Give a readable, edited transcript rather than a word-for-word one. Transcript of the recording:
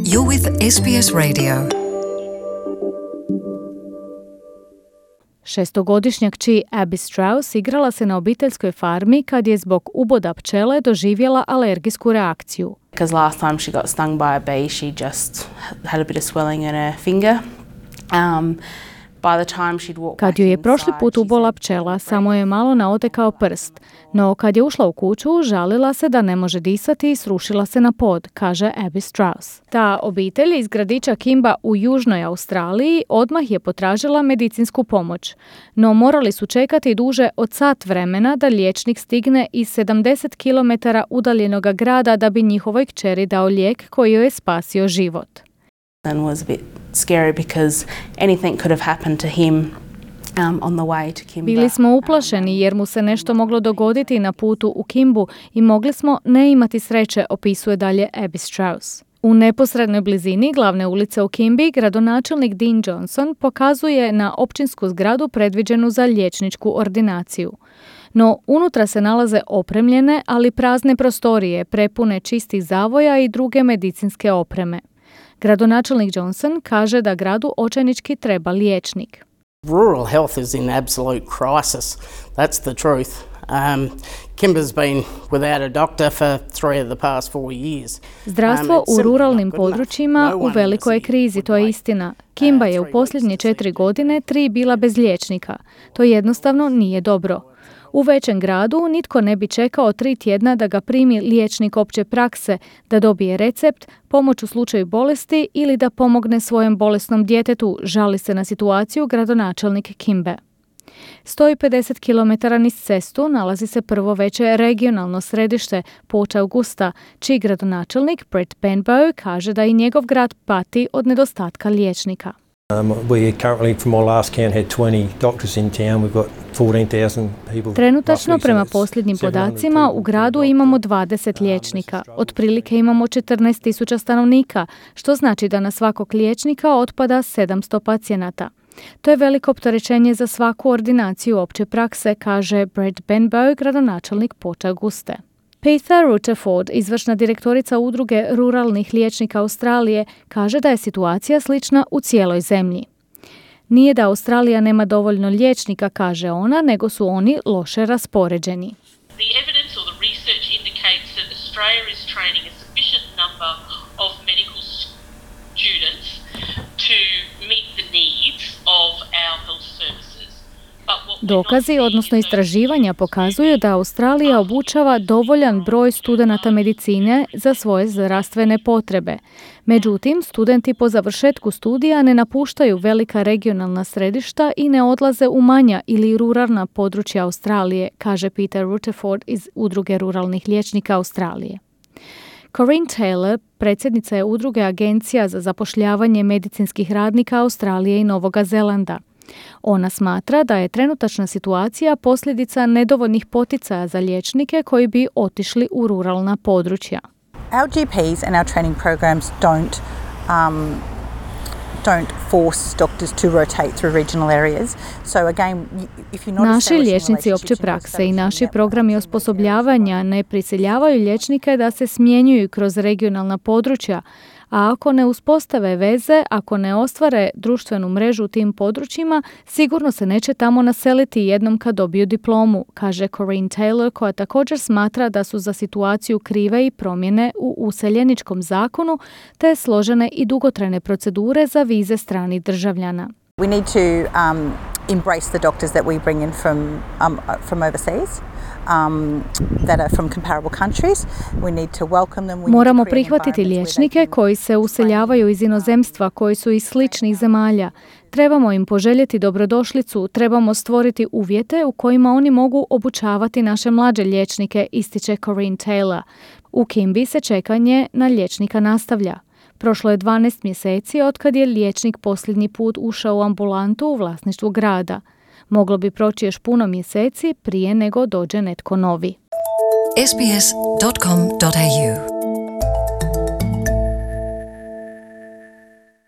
You're with SBS Radio. Šestogodišnjak kći Abby Strauss igrala se na obiteljskoj farmi kad je zbog uboda pčele doživjela alergijsku reakciju. Because last time she got stung by a bee, she just had a bit of swelling in her finger. Kad joj je prošli put ubola pčela, samo je malo naotekao prst. No kad je ušla u kuću, žalila se da ne može disati i srušila se na pod, kaže Abby Strauss. Ta obitelj iz gradića Kimba u južnoj Australiji odmah je potražila medicinsku pomoć. No morali su čekati duže od sat vremena da liječnik stigne iz 70 km udaljenog grada da bi njihovoj kćeri dao lijek koji joj je spasio život. And was a bit scary because anything could have happened to him on the way to Kimba. Bili smo uplašeni jer mu se nešto moglo dogoditi na putu u Kimbu i mogli smo ne imati sreće, opisuje dalje Abby Strauss. U neposrednoj blizini glavne ulice u Kimbi gradonačelnik Dean Johnson pokazuje na općinsku zgradu predviđenu za liječničku ordinaciju. No, unutra se nalaze opremljene, ali prazne prostorije, prepune čistih zavoja i druge medicinske opreme. Gradonačelnik Johnson kaže da gradu očajnički treba liječnik. Rural health is in absolute crisis. That's the truth. Kimba's been without a doctor for 3 of the past 4 years. Zdravstvo u ruralnim područjima u velikoj je krizi, to je istina. Kimba je u posljednje 4 godine 3 bila bez liječnika. To jednostavno nije dobro. U većem gradu nitko ne bi čekao 3 tjedna da ga primi liječnik opće prakse, da dobije recept, pomoć u slučaju bolesti ili da pomogne svojem bolesnom djetetu, žali se na situaciju gradonačelnik Kimbe. 150 km niz cestu nalazi se prvo veće regionalno središte Port Augusta, čiji gradonačelnik Brett Benbow kaže da i njegov grad pati od nedostatka liječnika. We currently, from our last count, had 20 doctors in town. We've got 14,000 people. Trenutačno, prema posljednjim podacima, u gradu imamo 20 liječnika. Otprilike imamo 14,000 stanovnika, što znači da na svakog liječnika otpada 700 pacijenata. To je veliko opterećenje za svaku ordinaciju opće prakse, kaže Brett Benbow, gradonačelnik Port Auguste. Peter Rutherford, izvršna direktorica udruge ruralnih liječnika Australije, kaže da je situacija slična u cijeloj zemlji. Nije da Australija nema dovoljno liječnika, kaže ona, nego su oni loše raspoređeni. The evidence or the research indicates that Australia is training a sufficient number of medical students to meet the needs of our health services. Dokazi, odnosno istraživanja, pokazuju da Australija obučava dovoljan broj studenata medicine za svoje zdravstvene potrebe. Međutim, studenti po završetku studija ne napuštaju velika regionalna središta i ne odlaze u manja ili ruralna područja Australije, kaže Peter Rutherford iz udruge ruralnih liječnika Australije. Corinne Taylor, predsjednica je udruge agencija za zapošljavanje medicinskih radnika Australije i Novoga Zelanda. Ona smatra da je trenutačna situacija posljedica nedovoljnih poticaja za liječnike koji bi otišli u ruralna područja. Our GPs and our training programs don't force doctors to rotate through regional areas. So again, if you notice, naši liječnici opće prakse i naši programi osposobljavanja ne prisiljavaju liječnike da se smjenjuju kroz regionalna područja, a ako ne uspostave veze, ako ne ostvare društvenu mrežu u tim područjima, sigurno se neće tamo naseliti jednom kad dobiju diplomu, kaže Corinne Taylor, koja također smatra da su za situaciju krive i promjene u useljeničkom zakonu, te složene i dugotrajne procedure za vize stranih državljana. We need to embrace the doctors that we bring in from overseas. That are from comparable countries. We need to welcome them. Moramo prihvatiti liječnike koji se useljavaju iz inozemstva, koji su iz sličnih zemalja. Trebamo im poželjeti dobrodošlicu, trebamo stvoriti uvjete u kojima oni mogu obučavati naše mlađe liječnike, ističe Corinne Taylor. U Kimbi se čekanje na liječnika nastavlja. Prošlo je 12 mjeseci otkad je liječnik posljednji put ušao u ambulantu u vlasništvu grada. Moglo bi proći još puno mjeseci prije nego dođe netko novi. sbs.com.au